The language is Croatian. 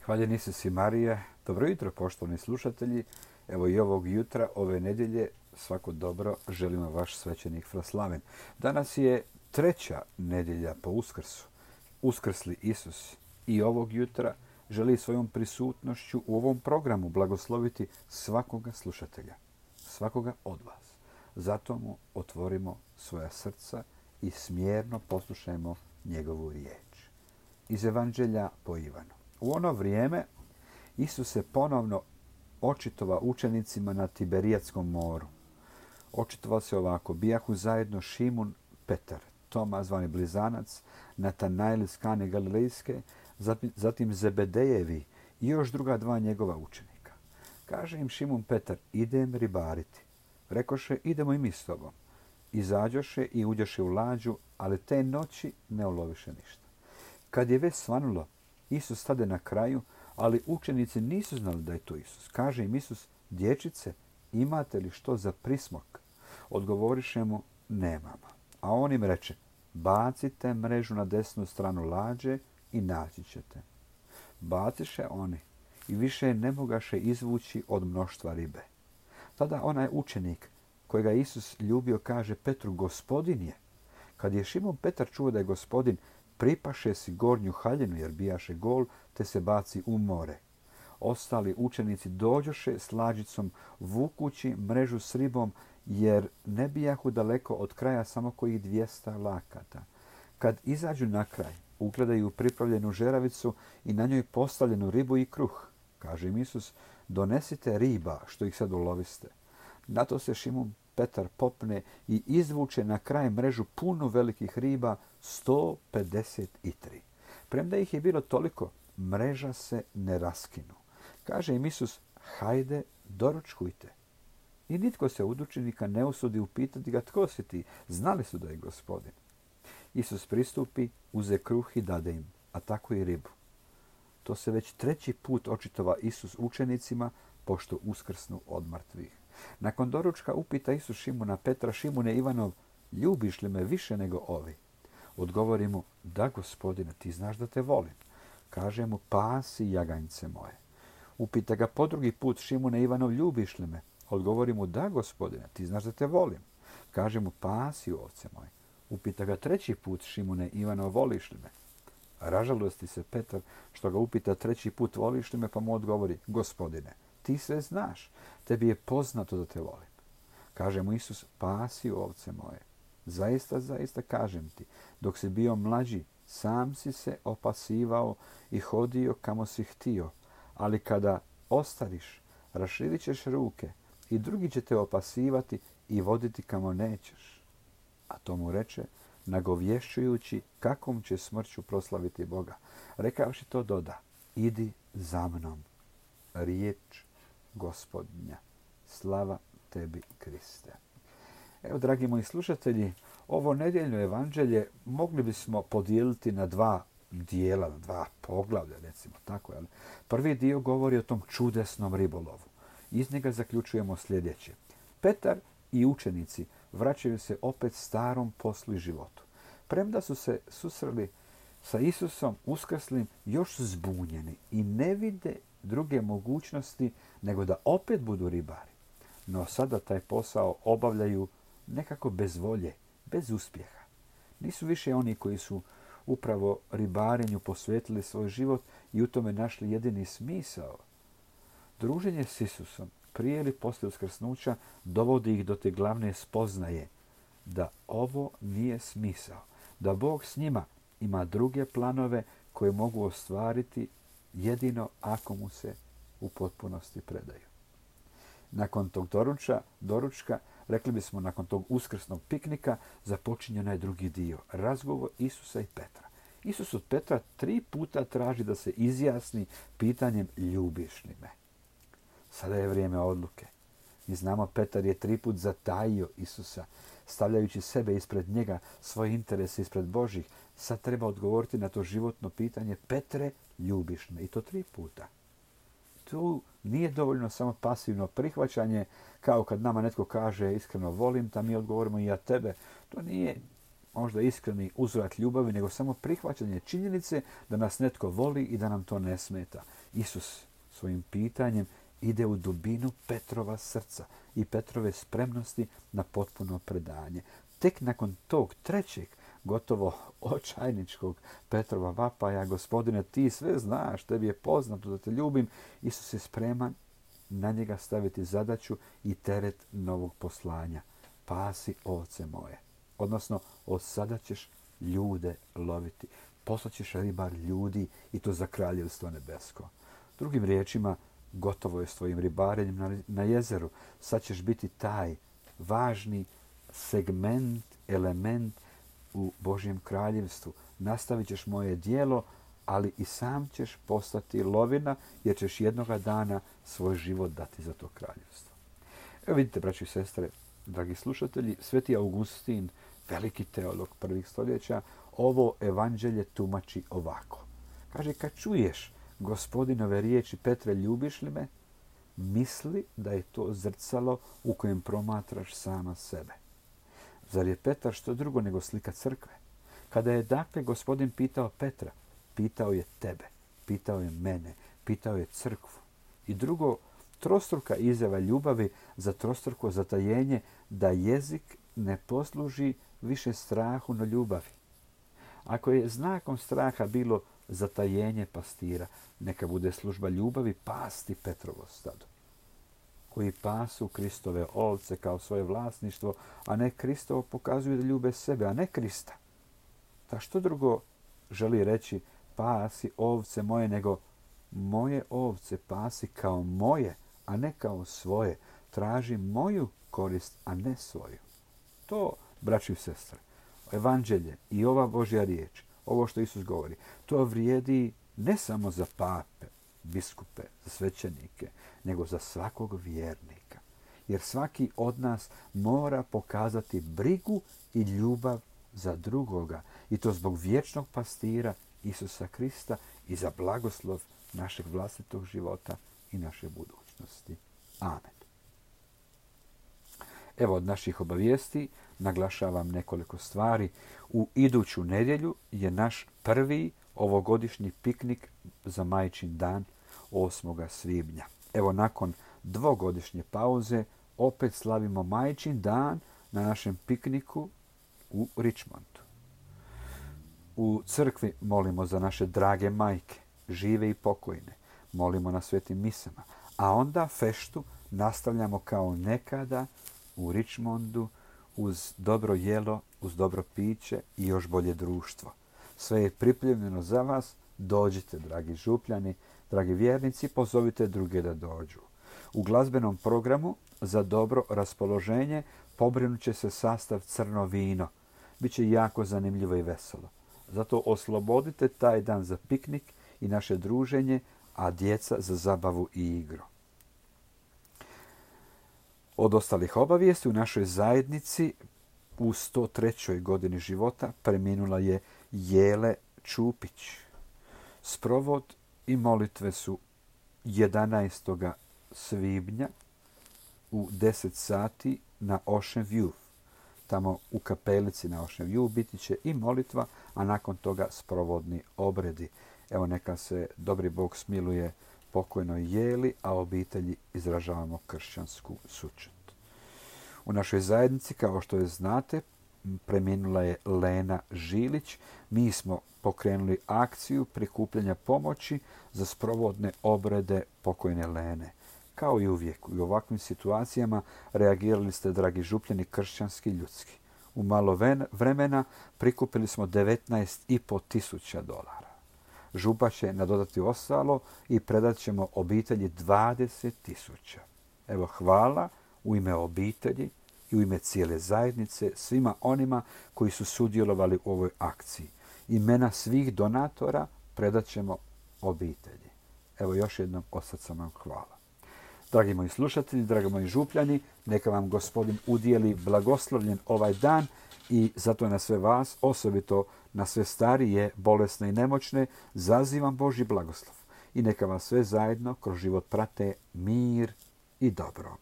Hvaljeni si Marija. Dobro jutro, poštovani slušatelji. Evo i ovog jutra, ove nedjelje, svako dobro želimo vaš svećenik Fraslaven. Danas je treća nedjelja po Uskrsu. Uskrsli Isus i ovog jutra želi svojom prisutnošću u ovom programu blagosloviti svakoga slušatelja, svakoga od vas. Zato mu otvorimo svoja srca i smjerno poslušajmo njegovu riječ. Iz Evanđelja po Ivanu. U ono vrijeme Isus se ponovno očitovao učenicima na Tiberijatskom moru. Očitovao se ovako: bijahu zajedno Šimun, Petar, Toma zvani Blizanac, Natanael iz Kane Galilejske, zatim Zebedejevi i još druga dva njegova učenika. Kaže im Šimun Petar: idem ribariti. Rekoše: idemo i mi s tobom. Izađoše i uđoše u lađu, ali te noći ne uloviše ništa. Kad je već svanulo, Isus stade na kraju, ali učenici nisu znali da je to Isus. Kaže im Isus: dječice, imate li što za prismok? Odgovoriše mu: nemamo. A on im reče: bacite mrežu na desnu stranu lađe i naći ćete. Baciše oni i više ne mogaše izvući od mnoštva ribe. Tada onaj učenik kojega Isus ljubio kaže Petru: gospodin je. Kad je Šimun Petar čuo da je gospodin, pripaše si gornju haljinu jer bijaše gol, te se baci u more. Ostali učenici dođoše s lađicom vukući mrežu s ribom, jer ne bijahu daleko od kraja, samo kojih 200 lakata. Kad izađu na kraj, ugledaju pripravljenu žeravicu i na njoj postavljenu ribu i kruh. Kaže im Isus: donesite riba što ih sad uloviste. Na to se Šimun Petar popne i izvuče na kraj mrežu punu velikih riba, 153. Premda ih je bilo toliko, mreža se ne raskinu. Kaže im Isus: hajde, doručkujte. I nitko se od učenika ne usudi upitati ga: tko si ti? Znali su da je gospodin. Isus pristupi, uze kruh i dade im, a tako i ribu. To se već treći put očitova Isus učenicima, pošto uskrsnu od mrtvih. Nakon doručka upita Isus Šimuna Petra: Šimune Ivanov, ljubiš li me više nego ovi? Odgovori mu: da, gospodine, ti znaš da te volim. Kaže mu: pasi jaganjce moje. Upita ga po drugi put: Šimune Ivanov, ljubiš li me? Odgovori mu: da, gospodine, ti znaš da te volim. Kaže mu: pasi ovce moje. Upita ga treći put: Šimune Ivanov, voliš li me? Ražalosti se Petar što ga upita treći put: voliš li me? Pa mu odgovori: gospodine, ti sve znaš, tebi je poznato da te volim. Kaže mu Isus: pasi ovce moje. Zaista, zaista kažem ti, dok si bio mlađi, sam si se opasivao i hodio kamo si htio, ali kada ostariš, raširit ćeš ruke i drugi će te opasivati i voditi kamo nećeš. A to mu reče, nagovješćujući kakvom će smrću proslaviti Boga. Rekavši to doda: idi za mnom. Riječ Gospodnja. Slava tebi, Kriste. Evo, dragi moji slušatelji, ovo nedjeljno evanđelje mogli bismo podijeliti na dva dijela, na dva poglavlja, recimo tako. Jel? Prvi dio govori o tom čudesnom ribolovu. Iz njega zaključujemo sljedeće. Petar i učenici vraćaju se opet starom poslu i životu. Premda su se susreli sa Isusom uskrslim, još su zbunjeni i ne vide druge mogućnosti nego da opet budu ribari. No sada taj posao obavljaju nekako bez volje, bez uspjeha. Nisu više oni koji su upravo ribarenju posvetili svoj život i u tome našli jedini smisao. Druženje s Isusom prije ili poslije uskrsnuća dovodi ih do te glavne spoznaje da ovo nije smisao, da Bog s njima ima druge planove koje mogu ostvariti jedino ako mu se u potpunosti predaju. Nakon tog doručka, rekli bismo nakon tog uskrsnog piknika, započinje onaj drugi dio, razgovor Isusa i Petra. Isus od Petra 3 puta traži da se izjasni pitanjem: ljubiš li me? Sada je vrijeme odluke. Mi znamo, Petar je 3 put zatajio Isusa, stavljajući sebe ispred njega, svoje interese ispred Božih. Sad treba odgovoriti na to životno pitanje: Petre, ljubiš me? I to 3 puta. Tu nije dovoljno samo pasivno prihvaćanje, kao kad nama netko kaže iskreno volim te, mi odgovorimo i ja tebe. To nije možda iskreni uzvrat ljubavi, nego samo prihvaćanje činjenice da nas netko voli i da nam to ne smeta. Isus svojim pitanjem ide u dubinu Petrova srca i Petrove spremnosti na potpuno predanje. Tek nakon tog trećeg, gotovo očajničkog Petrova vapaja, Gospodine, ti sve znaš, tebi je poznato da te ljubim, Isus je spreman na njega staviti zadaću i teret novog poslanja. Pasi ovce moje. Odnosno, od sada ćeš ljude loviti. Poslaćeš ribar ljudi i to za kraljevstvo nebesko. Drugim riječima, gotovo je s tvojim ribarenjem na jezeru. Sad ćeš biti taj važni segment, element u Božjem kraljevstvu. Nastavit ćeš moje djelo, ali i sam ćeš postati lovina, jer ćeš jednoga dana svoj život dati za to kraljevstvo. Evo vidite, braći i sestre, dragi slušatelji, Sveti Augustin, veliki teolog prvih stoljeća, ovo evanđelje tumači ovako. Kaže, kad čuješ Gospodinove riječi, Petre, ljubiš li me? Misli da je to zrcalo u kojem promatraš sama sebe. Zar je Petar što drugo nego slika crkve? Kada je dakle Gospodin pitao Petra, pitao je tebe, pitao je mene, pitao je crkvu. I drugo, trostruka izjava ljubavi za trostruko zatajenje, da jezik ne posluži više strahu no ljubavi. Ako je znakom straha bilo zatajenje pastira, neka bude služba ljubavi pasti Petrovo stado, koji pasu Kristove ovce kao svoje vlasništvo, a ne Kristovo pokazuju da ljube sebe, a ne Krista. Ta što drugo želi reći pasi ovce moje, nego moje ovce pasi kao moje, a ne kao svoje. Traži moju korist, a ne svoju. To, braći i sestre, evanđelje i ova Božja riječ, ovo što Isus govori, to vrijedi ne samo za pape, biskupe, za svećenike, nego za svakog vjernika. Jer svaki od nas mora pokazati brigu i ljubav za drugoga. I to zbog vječnog pastira Isusa Krista i za blagoslov našeg vlastitog života i naše budućnosti. Amen. Evo, od naših obavijesti naglašavam nekoliko stvari. U iduću nedjelju je naš prvi ovogodišnji piknik za Majčin dan 8. svibnja. Evo, nakon dvogodišnje pauze opet slavimo Majčin dan na našem pikniku u Richmondu. U crkvi molimo za naše drage majke, žive i pokojne. Molimo na svetim misama. A onda feštu nastavljamo kao nekada u Richmondu uz dobro jelo, uz dobro piće i još bolje društvo. Sve je pripremljeno za vas. Dođite, dragi župljani, dragi vjernici, pozovite druge da dođu. U glazbenom programu za dobro raspoloženje pobrinut će se sastav Crno vino. Biće jako zanimljivo i veselo. Zato oslobodite taj dan za piknik i naše druženje, a djeca za zabavu i igru. Od ostalih obavijesti u našoj zajednici u 103. godini života preminula je Jele Čupić. Sprovod i molitve su 11. svibnja u 10 sati na Ocean View. Tamo u kapelici na Ocean View biti će i molitva, a nakon toga sprovodni obredi. Evo, neka se dobri Bog smiluje pokojnoj Jeli, a obitelji izražavamo kršćansku sućut. U našoj zajednici, kao što je znate, preminula je Lena Žilić. Mi smo pokrenuli akciju prikupljanja pomoći za sprovodne obrede pokojne Lene. Kao i uvijek, u ovakvim situacijama reagirali ste, dragi župljani, kršćanski, ljudski. U malo vremena prikupili smo $19.500. Župa će nadodati ostalo i predat ćemo obitelji 20.000. Evo, hvala u ime obitelji i u ime cijele zajednice svima onima koji su sudjelovali u ovoj akciji. Imena svih donatora predat ćemo obitelji. Evo, još jednom od srca vam hvala. Dragi moji slušatelji, dragi moji župljani, neka vam Gospodin udijeli blagoslovljen ovaj dan i zato na sve vas, osobito na sve starije, bolesne i nemoćne, zazivam Božji blagoslov. I neka vas sve zajedno kroz život prate mir i dobro.